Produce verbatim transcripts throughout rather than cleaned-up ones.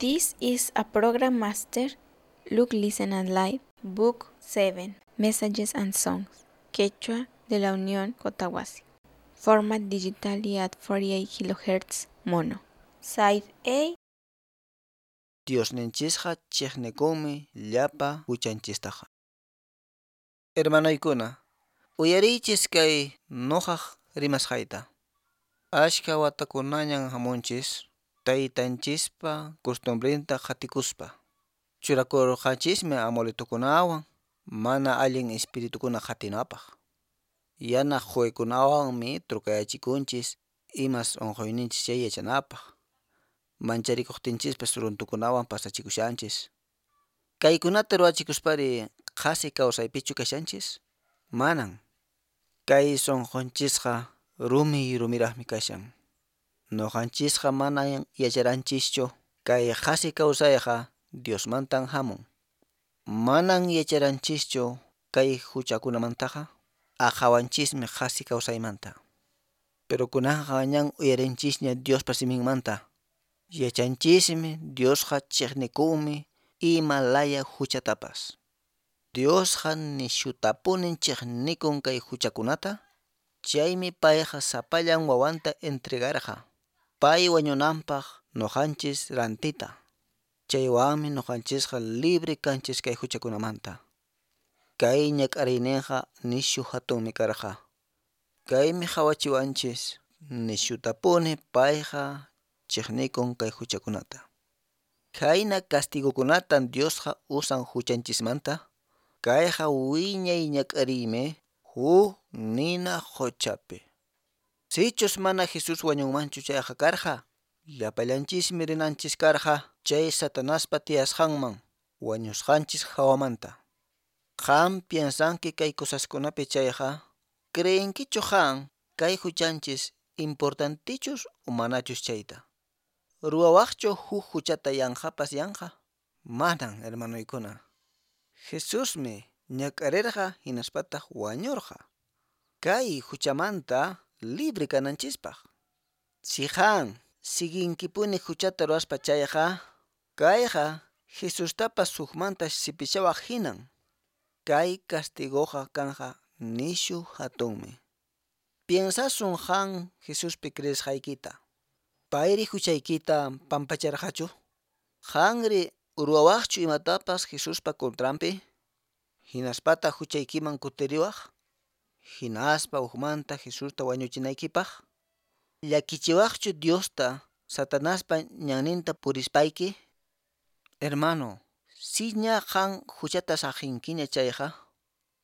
This is a program master, Look, Listen and Live, Book seven, Messages and Songs, Quechua de la Unión Cotahuasi. Format digitally at forty-eight kilohertz mono. Side A. Diosninchisqa chiqnikunmi llapa huchanchistaqa. Hermanoykuna, uyariychis kay nuqaq rimasqayta. Ashka watakunañan hamunchis taytanchispa costumbrinta qatikuspa. Churakurqanchismi amuletukunawan mana allin espiritukuna qatinapaq. Yana quykunawanmi trukayachikunchis imas unquyninchis chay yachanapaq. Mancharikuqtinchispas runtukunawan pasachikushanchis. Kaykunata ruwachikuspari qhasi kawsaypichu kashanchis? Manan. Kay sunqunchisqa rumi rumiraqmi kashan. Nuqanchisqa manan yacharanchischu kay qhasi kawsayqa Diosmantan hamun. Manan yacharanchischu kay huchakunamantaqa aqhawanchismi qhasi kawsaymanta. Pero kunanqa ñan uyarinchisña Diospa siminmanta. Yachanchismi Diosqa chiqnikunmi ima laya huchatapas. Diosqa nishutapunin chiqnikun kay huchakunata. Chaymi payqa sapallan wawanta entregarqa. Pay wañunanpaq nuqanchis rantita. Chaywanmi nuqanchisqa libre kanchis kay huchakunamanta. Kay ñak'ariyninqa nishu hatunmi karqa. Kaymi hawachiwanchis nishutapuni payqa chiqnikun kay huchakunata. Khayna castigokunatan Diosqa usan huchanchismanta. Kayqa wiñay ñak'ariymi huk nina quchapi. Sichus mana Jesús wañunmanchu chayqa karqa, llapallanchismi rinanchis karqa chay Satanaspa tiyasqanman wañusqanchis hawamanta. Qam piensanki kay cosaskunapi chayqa, creenkichu qan kay huchanchis importantichus o manachus chayta? Ruwawaqchu huk huchata yanqapas yanqa? Manan, hermanoykuna. Jesusmi ñak'arirqa hinaspataq wañurqa. Kay huchamanta libre kananchispaq. Si qan siguinkipuni huchata ruwaspa chayqa, kayqa Jesustapas hukmanta sipishawaq hinan. Kay castigoqa kanqa nishu hatunmi. Piensasun qan Jesuspi creesqaykita. Payri huchaykita pampacharqachu? Qanri ruwawaqchu imatapas Jesuspa contranpi? Hinaspata huchaykiman kutiriwaq? Hinaspa hukmanta Jesusta wañuchinaykipaq? Llakichiwaqchu Diosta Satanaspa ñanninta purispayki? Hermano, si ña qan huchata saqinkiña chayqa,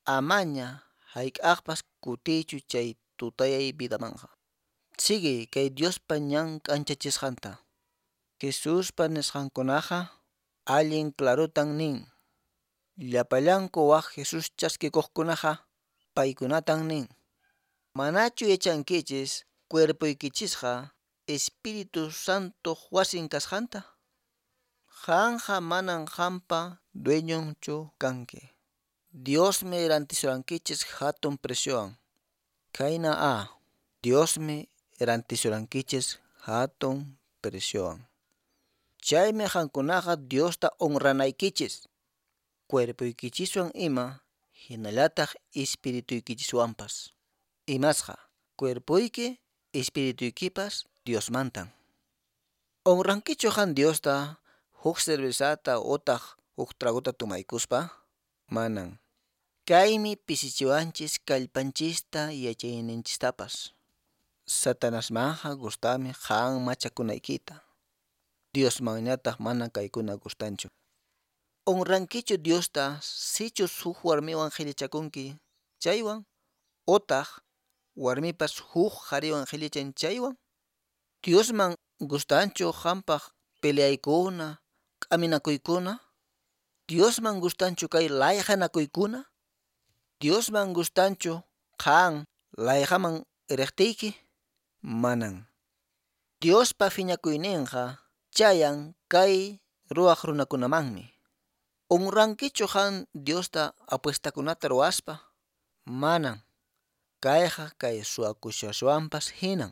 amaña hayk'aqpas kutiychu chay tutayay vidamanqa. Sigue kay Diospa ñan k'anchachisqanta. Jesuspa nisqankunaqa allin clarotan nin. Llapallanku waq Jesús chaskikuqkunaqa paykunatan nin. Manachu yachankichis cuerpoykichisqa Espíritu Santo wasin kasqanta? Qanqa manan qampa dueñonchu kanki. Diosmi rantisurankichis hatun preciowan. Khayna a, Diosmi rantisurankichis hatun preciowan. Chaymi qankunaqa Diosta honranaykichis. Cuerpoykichiswan ima hinallataq espirituykichiswanpas. Imasqa cuerpoyki espirituykipas Diosmantan. Honrankichu qan Diosta huk cervezata utaq huk tragota tomaykuspa? Manan. Kaymi pisichiwanchis kallpanchista yachayninchistapas. Satanasmanqa gustami qan machakunaykita. Diosmanñataq mana kaykuna gustanchu. Honrankichu Diosta sichus huk warmiwan qhillichakunki chaywan utaq warmipas huk qhariwan qhillichan chaywan? Diosman gustanchu qampaq peleaykuna, k'aminakuykuna? Diosman gustanchu kay layqanakuykuna? Diosman gustanchu qan layqaman riqtiyki? Manan. Diospa phiñakuyninqa chayan kay ruwaq runakunamanmi. Honrankichu qan Diosta apuestakunata ruwaspa? Manan. Kayqa kay suwakushaswanpas hinan.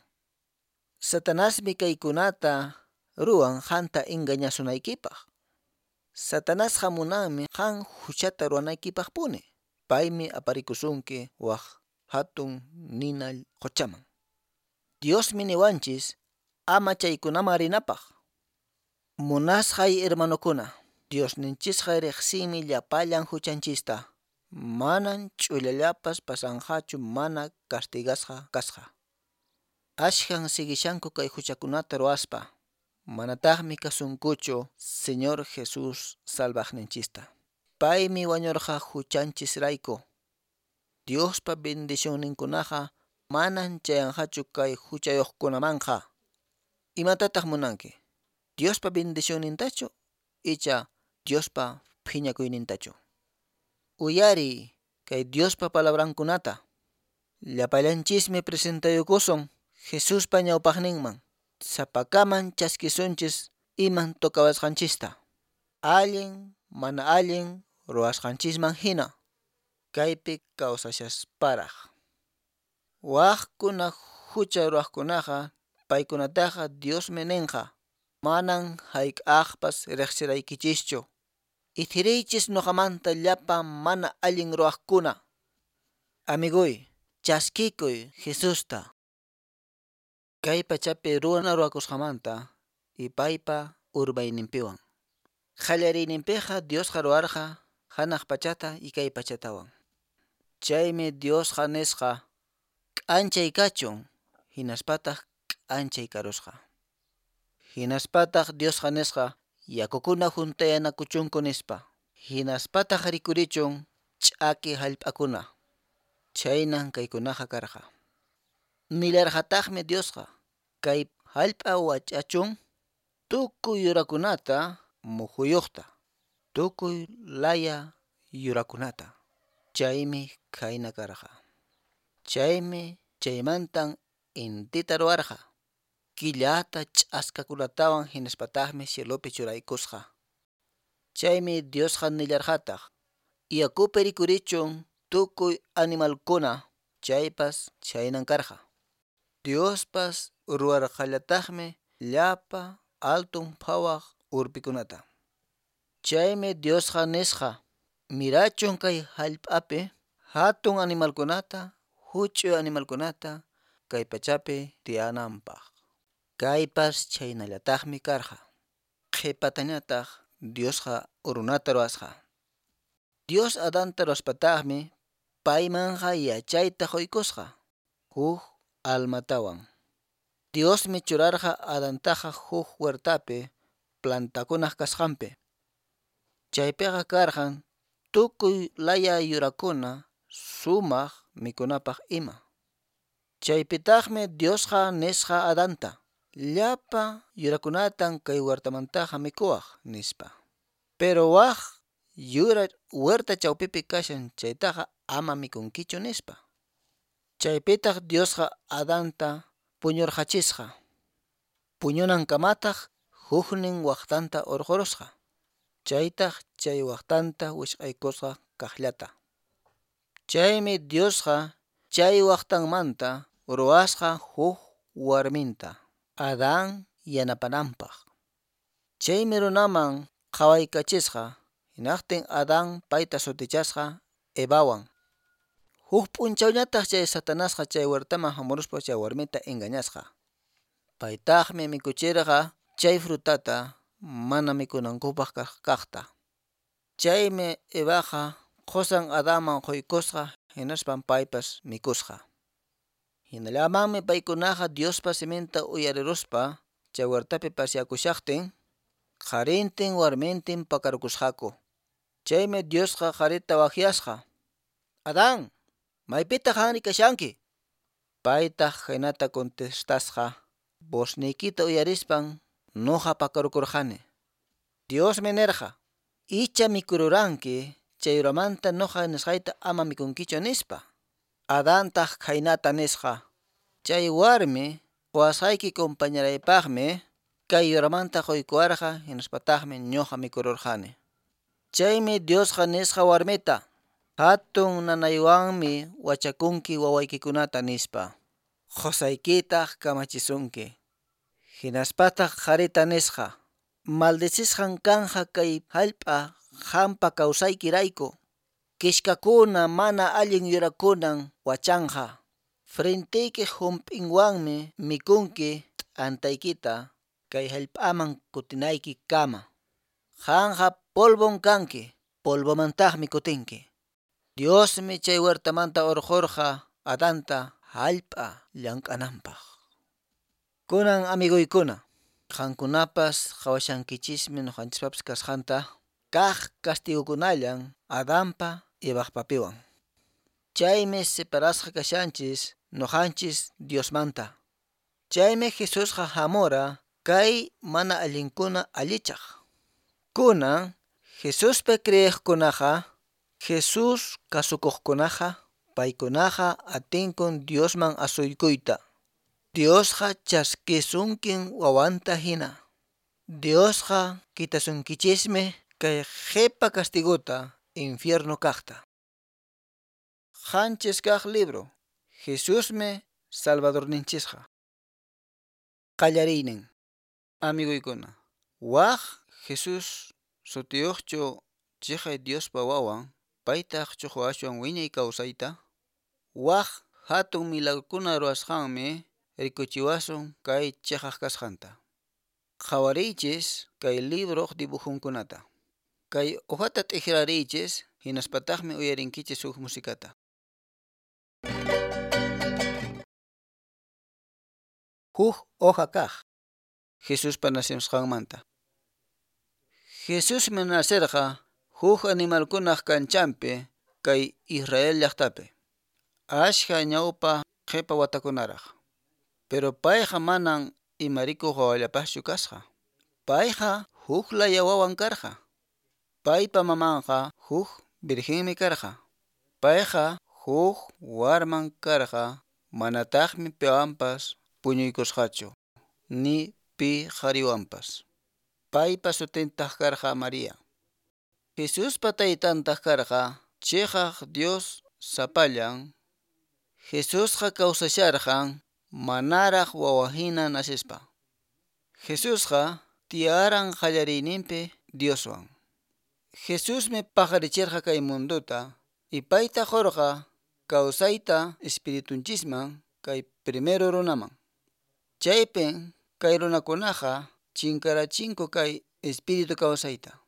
Satanasmi kaykunata ruwan qanta engañasunaykipaq. Satanasqa munanmi qan huchata ruwanaykipaqpuni. Paymi aparikusunki wak hatun nina quchaman. Diosmi niwanchis ama chaykunaman rinapaq. Munasqay hermanokuna, Diosninchisqa riqsinmi llapallan huchanchista. Manan ch'ullallapas pasanqachu mana castigasqa kasqa. Ashkan sigishanku kay huchakunata ruwaspa. Manataqmi kasunkuchu Señor Jesús salvaqninchista. Paymi wañurqa huchanchisrayku. Diospa bendicionninkunaqa manan chayanqachu kay huchayuqkunamanqa. Imatataq munanki? Diospa bendicionnintachu icha Diospa phiñakuynintachu? Uyariy kay Diospa palabrankunata. Llapallanchismi presentayukusun Jesuspa ñawpaqninman. Sapakaman chaskisunchis iman tocawasqanchista. Allin, mana allin ruwasqanchisman hina. Kaypi kawsashasparaq. Waqkuna hucha ruwaqkunaqa paykunataqa Diosmi ninqa. Manan hayk'aqpas riqsiraykichischu. Ithiriychis nuqamanta llapa mana allin ruwaqkuna. Amiguy, chaskikuy Jesusta. Kay pachapi runa ruwakusqamanta y paypa urbayninpiwan. Qallariyninpiqa Diosqa ruwarqa hanaq pachata y kay pachatawan. Chaymi Diosqa nisqa k'anchay kachun, hinaspataq k'anchay karusqa. Hinaspataq Diosqa nisqa yakukuna juntayanakuchunku nispa. Hinaspataq rikurichun ch'aki hallp'akuna. Chaynan kaykunaqa karqa. Nillarqataqmi Diosqa kay hallp'a wach'achun tukuy yurakunata muhuyuqta, tukuy laya yurakunata. Chaymi khayna karqa. Chaymi chaymantan intita ruwarqa. Killata ch'askakunatawan hinaspataqmi cielopi churaykusqa. Chaymi Diosqa nillarqataq yakupi rikurichun tukuy animalkuna, chaypas chhaynan karqa. Diospas ruwarqallataqmi llapa altun phawaq urpikunata. Chaymi Diosqa nisqa mirachun kay hallp'api hatun animalkunata, huch'uy animalkunata kay pachapi tiyananpaq. Kaypas chhaynallataqmi karqa. Qhipatañataq Diosqa runata ruwasqa. Dios Adanta ruwaspataqmi paymanqa yachayta quykusqa huk almatawan. Diosmi churarqa Adantaqa huk huertapi plantakunaq kasqanpi. Chaypiqa karqan tukuy laya yurakuna sumaq mikunapaq ima. Chaypitaqmi Diosqa nisqa Adanta llapa yurakunatan kay huertamantaqa mikuwaq nispa. Pero waq yura huerta chawpipi kashan chaytaqa ama mikunkichu nispa. Chaypitaq Diosqa Adanta puñurqachisqa. Puñunankamataq huknin waqtanta urqurusqa. Chaytaq chay waqtanta wisq'aykusqa kaqllata. Chaymi Diosqa chay waqtanmanta ruwasqa huk warminta Adán yanapananpaq. Chaymi runaman qhawaykachisqa hinaqtin Adán payta sutichasqa Evawan. Huk p'unchawñataq chay Satanasqa chay huertaman hamuruspa chay warmita engañasqa. Paytaqmi mikuchirqa chay frutata mana mikunankupaq kaqta. Chaymi Evaqa qusan Adanman quykusqa hinaspan paypas mikusqa. Hinallamanmi paykunaqa Diospa siminta uyariruspa chay huertapi pasyakushaqtin qharintin warmintin pakarukusqaku. Chaymi Diosqa qharita waqyasqa. Adán, maypitaq qanri kashanki? Paytaq khaynata contestasqa vozniykita uyarispan nuqa pakarukurqani. Diosmi nirqa icha mikururanki chay yuramanta nuqa nisqayta ama mikunkichu nispa. Adantaq khaynata nisqa chay warmi quwasqayki compañeraypaqmi kay yuramanta quykuwarqa hinaspataqmi ñuqa mikururqani. Chaymi Diosqa nisqa warmita hatun nanaywanmi wachakunki wawaykikunata nispa. Qusaykitaq kamachisunki. Hinaspataq qharita nisqa: Maldecisqan kanqa kay hallp'a qanpa kawsaykirayku. Kishkakuna mana allin yurakunan wachanqa. Frenteykiq hump'inwanmi mikhunki t'antaykita kay hallp'aman kutinaykikama. Qanqa polvon kanki, polvomantaqmi kutinki. Diosmi chay huertamanta urqurqa Adanta hallp'a llank'ananpaq. Kunan amiguykuna, qankunapas qhawashankichismi ñuqanchispapis kasqanta kaq castigukunallan Adanpa Evaqpapiwan. Chaymi separasqa kashanchis ñuqanchis Diosmanta. Chaymi Jesusqa hamura kay mana allinkuna allichaq. Kunan Jesuspi creeqkunaqa, Jesús kasukuqkunaqa, paykunaqa atinkun Diosman asuykuyta. Diosqa chaskisunkin wawanta hina. Diosqa kitasunkichismi kay qhipa castiguta infierno kaqta. Qanchis kaq libro. Jesusmi Salvadorninchisqa. Qallariynin. Amiguykuna, waq Jesús sutiyuqchu chiqay Diospa wawan, paytaq chuqwaswan wiñay kawsayta? Waq hatun milagrokuna ruwasqanmi rikuchiwasun kay chiqaq kasqanta. Qhawariychis kay libroq dibujunkunata. Kay hojata t'ikrariychis hinaspataqmi uyarinkichis huk musikata. Huk hoja kaq. Jesuspa nacimusqanmanta. Jesusmi nacerqa huk animalkunaq kanchanpi kay Israel llaqtapi. Ashka ñawpa qhipa watakunaraq. Pero payqa manan imarikuq wawallapaschu kasqa. Payqa huk laya wawan karqa. Paypa mamanqa huk virgenmi karqa. Payqa huk warman karqa, manataqmi piwanpas puñuykusqachu, ni pi qhariwanpas. Paypa sutintaq karqa María. Jesuspa taytantaq karqa chiqaq Dios sapallan. Jesusqa kawsasharqan manaraq wawahina nasispa. Jesusqa tiyaran qallariyninpi Dioswan. Jesusmi paqarichirqa kay munduta y payta qurqa kawsayta espiritunchisman kay primero runaman. Chaypin kay runakunaqa chinkarachinku kay espíritu kawsayta.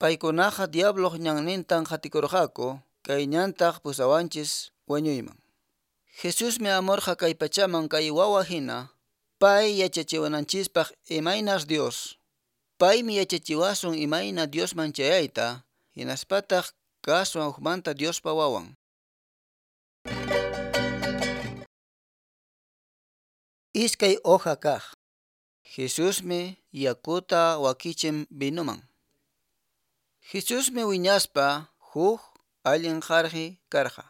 Paykunaqa diabloq ñannintan qatikurqaku kay ñantaq pusawanchis wañuyman. Jesusmi amurqa kay pachaman kay wawa hina, pay yachachiwananchispaq imaynas Dios. Paymi yachachiwasun imayna Diosman chayayta, hinaspataq kaswan hukmanta Diospa wawan. Iskay hoja kaq. Jesusmi yakuta wakichin vinoman. Jesusmi wiñaspa huk allin qarqi karqa.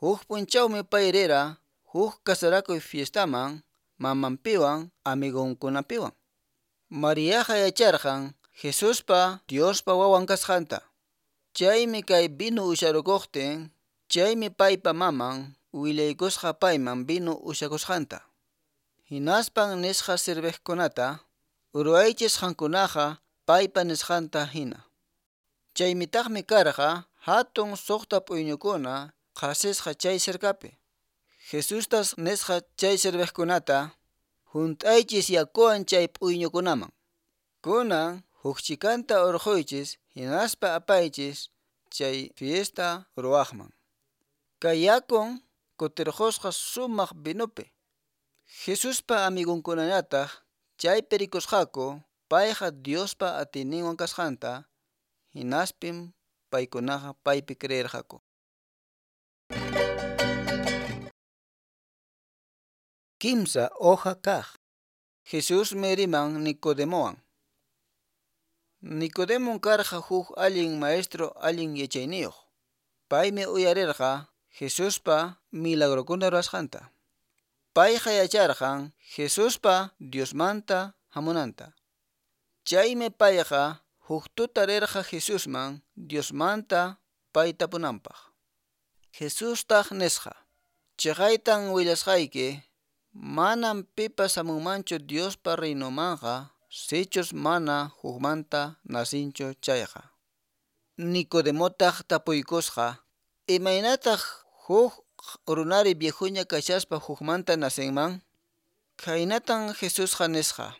Huk punchawmi pay rira huk kasarakuy fiestaman mamanpiwan amigunkunapiwan. Mariaqa yacharqan Jesuspa Diospa wawan kasqanta. Chaymi kay vino usharukuqtin, chaymi paypa maman willaykusqa payman vino ushakusqanta. Hinaspan nisqa sirviqkunata, ruwaychis qankunaqa paypa nisqanta hina. Chaymitaqmi karqa hatun suqta p'uyñukuna qhasisqa chay cercapi. Jesustas nisqa chay sirviqkunata, hunt'aychis yakuwan chay p'uyñukunaman. Kunan huk chikanta urquychis hinaspa apaychis chay fiesta ruwaqman. Kay yakun kutirqusqa sumaq vinupi. Jesuspa amigunkunañataq chaypi rikusqaku payqa Diospa atiyninwan kasqanta, hinaspim paykunaqa paypi creerqaku. Kimsa hoja kaq. Jesusmi riman Nicodemowan. Nicodemon karqa huk allin maestro allin yachayniyuq. Paymi uyarirqa Jesuspa milagrokuna ruwasqanta. Payqa yacharqan Jesuspa Diosmanta hamunanta. Chaymi payqa huk tuta rirqa Jesusman Diosmanta payta tapunanpaq. Jesustaq nisqa: Chiqaytan willasqayki, Manam pipas hamunmanchu Diospa reynomanqa sichus mana hukmanta nacinchu chayqa. Nicodemotaq tapuykusqa, Imaynataq huk runari viejuña kashaspa hukmanta nacinman? Khaynatan Jesusqa nisqa: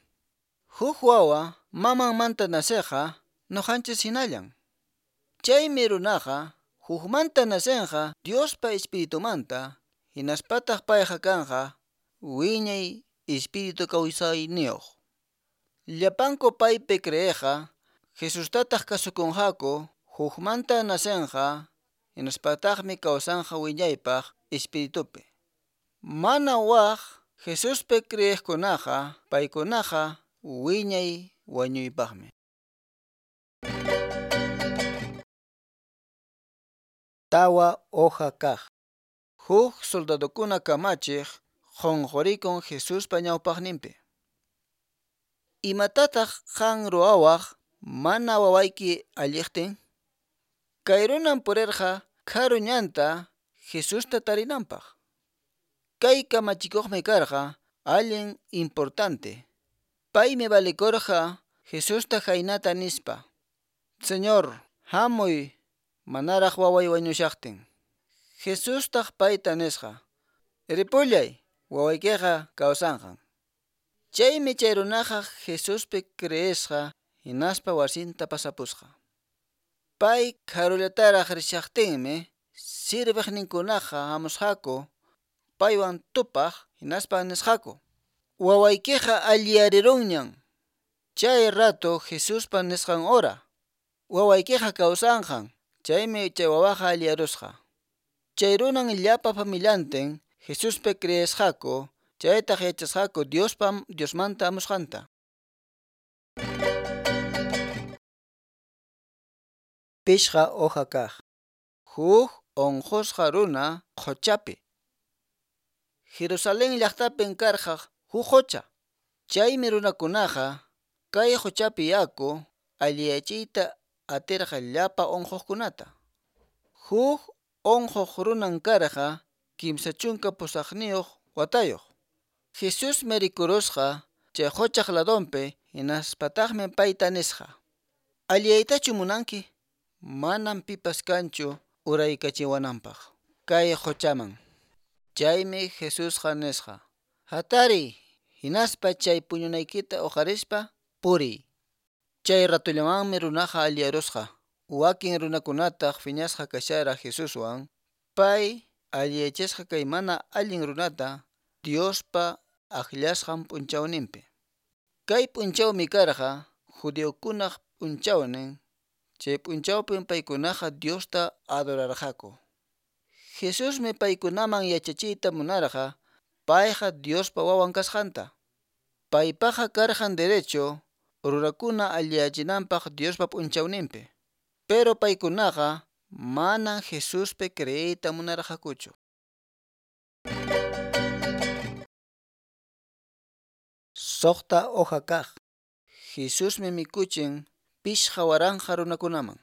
Huk wawa mamanmanta naceqqa nuqanchis hinallan. Chaymi runaqa hukmanta nacenqa Diospa Espiritumanta, hinaspataq payqa kanqa wiñay espíritu kawsayniyuq. Llapanku paypi creeqqa Jesustataq kasukunqaku hukmanta nacenqa hinaspataqmi kawsanqa wiñaypaq espiritupi. Mana waq Jesuspi creeqkunaqa paykunaqa wiñay wañuypaqmi. Tawa hoja kaq. Huk soldadokuna kamachiq qunqurikun Jesuspa ñawpaqninpi. Imatataq qan ruwawaq mana wawayki alliqtin? Kay runan purirqa karu ñanta Jesusta tarinanpaq. Kay kamachikuqmi karqa allin importante. Paymi valikurqa Jesusta khaynata nispa: Señor, hamuy manaraq waway wañushaqtin. Jesustaq payta nisqa: Ripullay, wawaykiqa kawsanqan. Chaymi chay runaqa Jesuspi creesqa hinaspa wasinta pasapusqa. Pay karullataraq rishaqtinmi sirviqninkunaqa hamusqaku paywan tupaq hinaspa nisqaku: Wawaykiqa alliyarirunñan. Chay rato Jesuspa nisqan hora wawaykiqa kawsanqan. Chaymi chay wawaqa alliyarusqa. Chay runan llapa familiantin Jesuspi creesqaku, chaytaq yachasqaku Diospa Diosmanta hamusqanta. Pishqa hoja kaq. Huk unqusqa runa quchapi. Jerusalén llaqtapin karqa huk qucha. Chaymi runakunaqa kay quchapi yaku alliyachiyta atirqa llapa unquqkunata. Huk unquq runan karqa kimsa chunka pusaqniyuq watayuq. Jesusmi rikurusqa chay quchaq ladonpi hinaspataqmi payta nisqa: Alliyaytachu munanki? Manam pipas kanchu uraykachiwananpaq kay quchaman. Chaymi Jesusqa nisqa: Hatariy, hinaspa chay puñunaykita uqarispa puriy. Chay ratullamanmi runaqa alliyarusqa. Wakin runakunataq phiñasqa kashara Jesuswan, pay alliyachisqa kay mana allin runata Diospa akllasqan p'unchawninpi. Kay p'unchawmi karqa judiokunaq p'unchawnin. Chay p'unchawpin paykunaqa Diosta adorarqaku. Jesusmi paykunaman yachachiyta munarqa payqa Diospa wawan kasqanta. Paypaqa karqan derecho runakuna alliyachinanpaq Diospa p'unchawninpi. Pero paykunaqa manan Jesuspi creeyta munarqakuchu. Suqta hoja kaq. Jesusmi mikuchin pishqa waranqa runakunaman.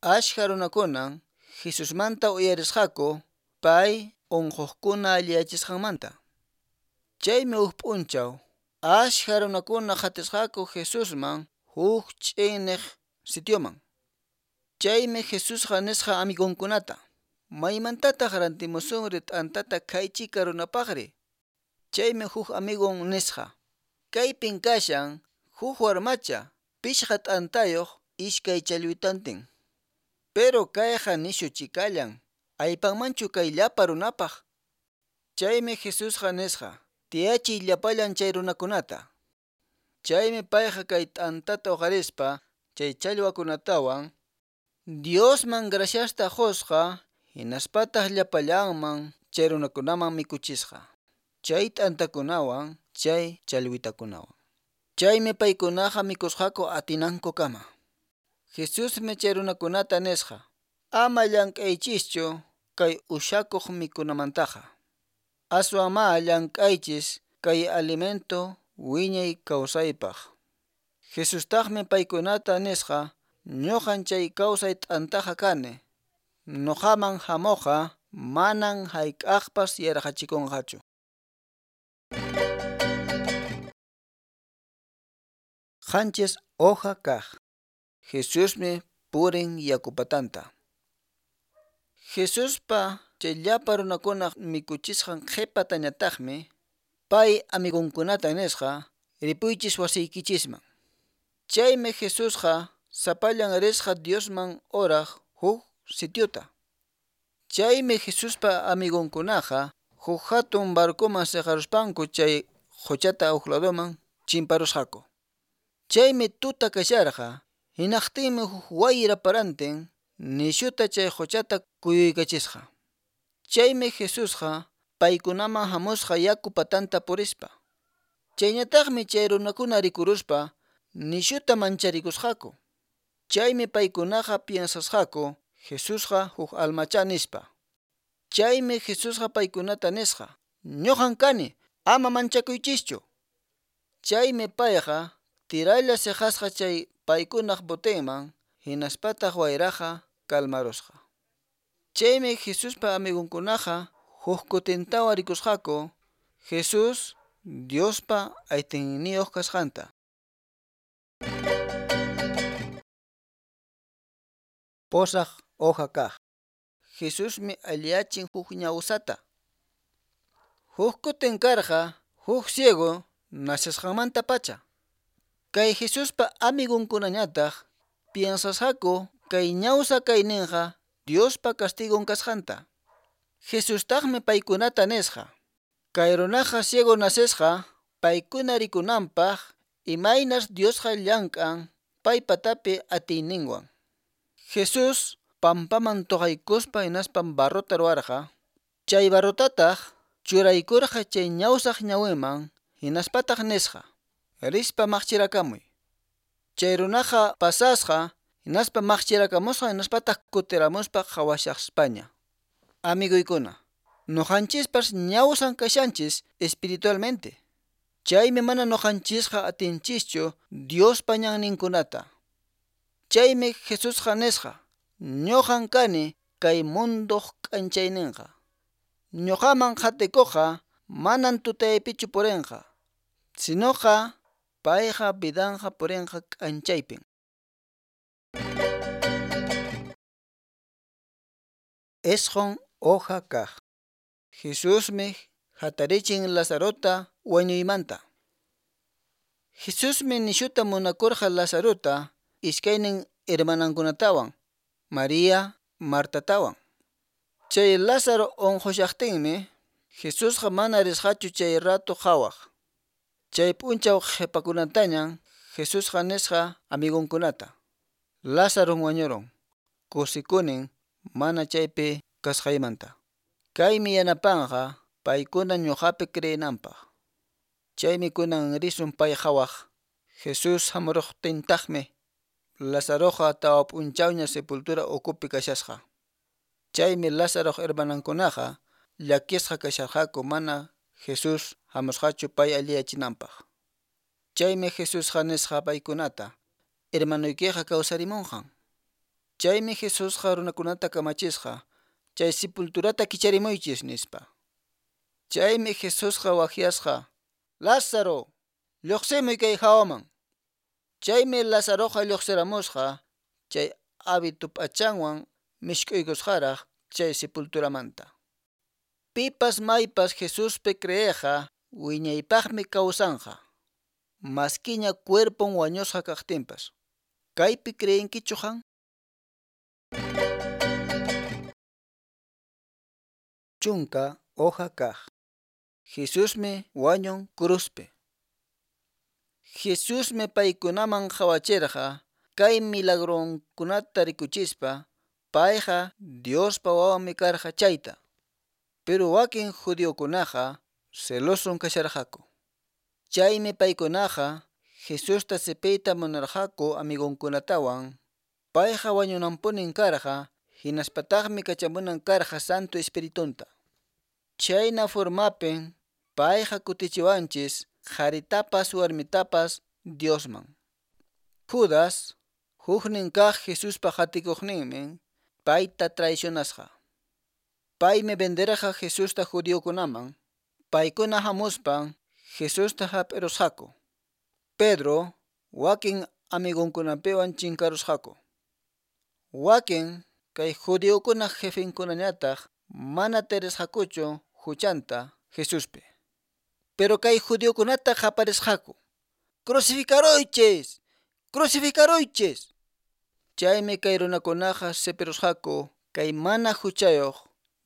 Ashka runakunan Jesusmanta uyarisqaku pay unquqkuna alliyachisqanmanta. Chaymi huk p'unchaw ashka runakuna qatisqaku Jesusman huk ch'inniq sitioman. Chaymi Jesusqa nisqa amigonkunata: Maymantataq rantimusunri t'antata kaychika runapaqri? Chaymi huk amigon nisqa: Kaypin kashan huk warmacha pishqa t'antayuq iskay challwitantin. Pero kayqa nishu chikallan, aypanmanchu kay llapa runapaq? Chaymi Jesusqa nisqa: Tiyachiy llapallan chay runakunata. Chaymi payqa kay t'antata uqarispa chay challwakunatawan Diosman graciasta qusqa hinaspataq llapallanman chay runakunaman mikuchisqa. Chay t'antakunawan chay challwitakunawan. Chaymi paykunaqa mikusqaku atinankukama. Jesusmi chay runakunata nisqa: Ama llank'aychischu kay ushakuq mikunamantaqa. Aswan ma llank'aychis kay alimento wiñay kawsaypaq. Jesustaqmi paykunata nisqa: Ñuqan chay kawsay t'antaqa kani. Nuqaman hamuqqa manan hayk'aqpas yarqachikunqachu. Qanchis hoja kaq. Jesusmi purin yakupatanta. Jesuspa chay llapa runakunaq mikuchisqan qhipatañataqmi pay amigunkunata nisqa ripuychis wasiykichisman. Chaymi Jesusqa sapallan risqa Diosman oraq huk sitiuta. Chaymi Jesuspa amigunkunaqa huk hatun barcoman siqaruspanku chay quchata huk ladoman chimparusqaku. Chaymi tuta kasharqa, hinaqtinmi huk wayra parantin nishuta chay quchata kuyuykachisqa. Chaymi Jesusqa paykunaman hamusqa yaku patanta purispa. Chayñataqmi chay runakuna rikuruspa nishuta mancharikusqaku. Chaymi paykunaqa piensasqaku Jesusqa huk almacha nispa. Chaymi Jesusqa paykunata nisqa: "Ñuqan kani, ama manchakuychischu." Chaymi payqa tiralla siqasqa chay paykunaq botenman, hinaspataq wayraqa kalmarusqa. Chaymi Jesuspa amigunkunaqa huk kutintawan rikusqaku Jesús Diospa atiyniyuq kasqanta. Pusaq hoja kaq. Jesusmi alliyachin huk ñawsata. Huk kutin karqa huk ciego nacesqanmanta pacha. Kay Jesuspa amigunkunañataq piensasqaku kay ñawsa kayninqa Diospa castigon kasqanta. Jesustaqmi paykunata nisqa: Kay runaqa ciego nacesqa paykuna rikunanpaq imaynas Diosqa llank'an paypatapi atiyninwan. Jesús pampaman tuqaykuspa hinaspam barrota ruwarqa. Chay barrotataq churaykurqa chay ñawsaq ñawinman hinaspataq nisqa: "Rispa maqchirakamuy." Chay runaqa pasasqa hinaspa maqchirakamusqa hinaspataq kutiramuspa qhawashaspaña. Amiguykuna, nuqanchispas ñawsan kashanchis espiritualmente. Chaymi mana nuqanchisqa atinchischu Diospa ñanninkunata. Chaymi Jesusqa nisqa: "Ñuqan kani kay munduq k'anchayninqa. Ñuqaman qhatikuqqa manan tutaypichu purinqa, sinoqa payqa vidanqa purinqa k'anchaypin." Isqun hoja kaq. Jesusmi hatarichin Lazarota wañuymanta. Jesusmi nishuta munakurqa Lazarota iskaynin hermanankunatawan, María, Martatawan. Chay Lázaro unqushaqtinmi Jesusqa mana risqachu chay rato qhawaq. Chay p'unchaw qhipakunatañan Jesusqa nisqa amigunkunata: "Lázaron wañurun, kusikunin mana chaypi kasqaymanta. Kaymi yanapanqa paykuna ñuqapi creenanpaq. Chaymi kunan risun pay qhawaq." Jesús hamuruqtintaqmi Lazaroqa tawa p'unchawña sepultura ukupi kashasqa. Chaymi Lázaroq hermanankunaqa llakisqa kasharqaku mana Jesús hamusqachu pay alliyachinanpaq. Chaymi Jesusqa nisqa paykunata: "Hermanuykiqa kawsarimunqan." Chaymi Jesusqa runakunata kamachisqa: "Chay sepulturata kicharimuychis" nispa. Chaymi Jesusqa waqyasqa: "Lázaro, lluqsimuy kay hawaman." Chaymi Lazaroqa lluqsiramusqa chay hábito p'achanwan mishk'uykusqaraq chay sepulturamanta. Pipas maypas Jesuspi creeqqa wiñaypaqmi kawsanqa, maskiña cuerpon wañusqa kaqtinpas. Kaypi creenkichu qan? Chunka hoja kaq. Jesusmi wañun cruzpi. Jesusmi paykunaman qhawachirqa kay milagronkunata rikuchispa payqa Diospa wawanmi karqa chayta. Pero wakin judiokunaqa celoson kasharqaku. Chaymi paykunaqa Jesusta sipiyta munarqaku amigunkunatawan. Payqa wañunanpunin karqa hinaspataqmi kachamunan karqa Santo Espiritunta. Chayna formapin payqa kutichiwanchis qharitapas warmitapas Diosman. Judas, huknin kaq Jesuspa qatikuqninmi, payta traicionasqa. Paymi venderqa Jesusta judiokunaman. Paykuna hamuspan Jesusta hap'irusqaku. Pedro wakin amigonkunapiwan chinkarusqaku. Wakin kay judiokunaq jefenkunañataq mana tarisqakuchu huchanta Jesuspi. Pero kay judiokunata qaparisqaku: "Crucificaruychis! Crucificaruychis!" Chaymi kay runakunaqa sipirusqaku kay mana huchayuq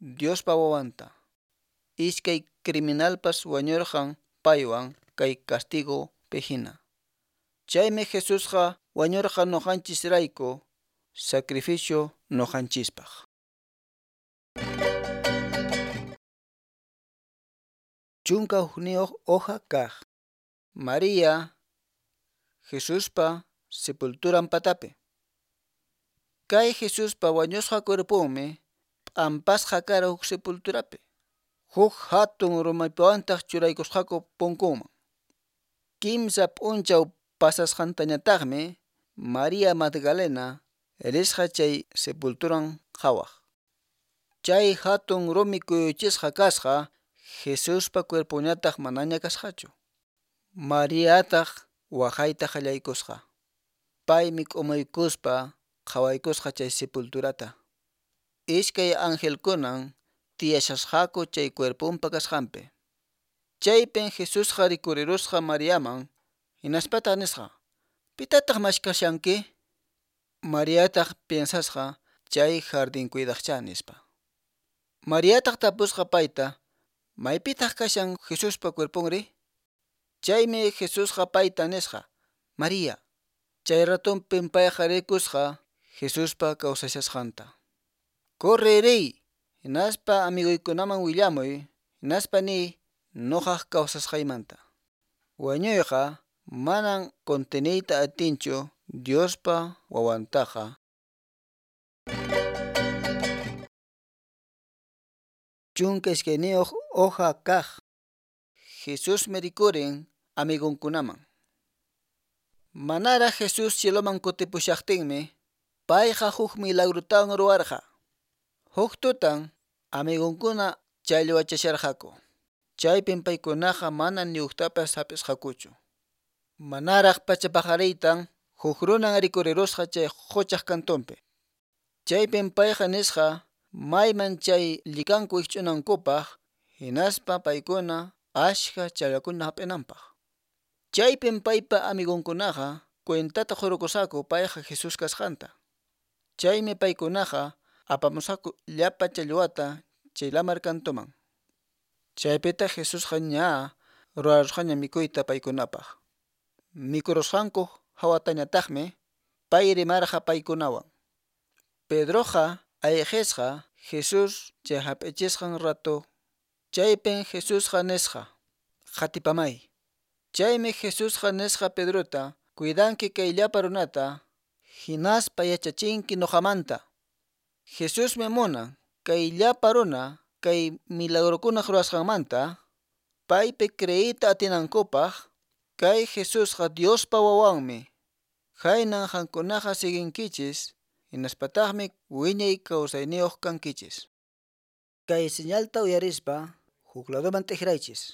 Diospa wawanta. Iskay criminalpas wañurqan paywan kay castigo pihina. Chaymi Jesusqa wañurqa nuqanchisrayku, sacrificio nuqanchispaq. Chunka hukniyuq hoja kaq. María Jesuspa sepulturan patapi. Kay Jesuspa wañusqa cuerponmi p'ampasqa kara huk sepulturapi. Huk hatun rumipawantaq churaykusqaku punkunman. Kimsa p'unchaw pasasqantañataqmi María Magdalena risqa chay sepulturan qhawaq. Chay hatun rumi kuyuchisqa kasqa, Jesuspa cuerponñataq manaña kasqachu. Mariataq waqayta qallaykusqa. Paymi k'umuykuspa qhawaykusqa chay sepulturata. Iskay angelkunan tiyashasqaku chay cuerponpa kasqanpi. Chaypin Jesusqa rikurirusqa Mariaman, hinaspataq nisqa: "Pitataq mashkashanki?" Mariataq piensasqa chay jardín cuidaqchá nispa. Mariataq tapusqa payta: "Maypitaq kashan Jesuspa cuerponri?" Chaymi Jesusqa payta nisqa: "María." Chay ratonpin payqa rikusqa Jesuspa kawsashasqanta. "Corre riy, hinaspa amiguykunaman willamuy, hinaspa niy nuqaq kawsasqaymanta. Wañuyqa manan conteniyta atinchu Diospa wawantaqa." Chunka iskayniyuq hoja kaq. Jesusmi rikurin amigonkunaman. Manaraq Jesús cieloman kutipushaqtinmi payqa huk milagrotawan ruwarqa. Huk tutan amigonkuna challwachasharqaku. Chaypin paykunaqa mana ni huktapas hap'isqakuchu. Manaraq pacha paqariytan huk runan rikurirusqa chay quchaq kantunpi. Chaypin payqa nisqa mayman chay llikanku wikch'unankupaq, hinaspa paykuna ashka challwakuna hap'inanpaq. Chaypin paypa amigonkunaqa cuentata qurukusqaku payqa Jesús kasqanta. Chaymi paykunaqa apamusqaku llapa challwata chay lamar kantuman. Chaypitaq Jesusqa ña ruwarusqaña mikuyta paykunapaq. Mikurusqanku hawatañataqmi pay rimarqa paykunawan. Pedroqa ayqisqa Jesús chay hap'ichisqan rato. Chaypin Jesusqa nisqa: "Qatipamay." Chaymi Jesusqa nisqa Pedrota: "Cuidanki kay llapa runata, hinaspa yachachinki nuqamanta." Jesusmi munan kay llapa runa kay milagrokunaq ruwasqanmanta paypi creeyta atinankupaq. Kay Jesusqa Diospa wawanmi. Khaynan qankunaqa siguinkichis, hinaspataqmi wiñay kawsayniyuq kankichis. Kay señalta uyarispa huk ladoman t'ikraychis.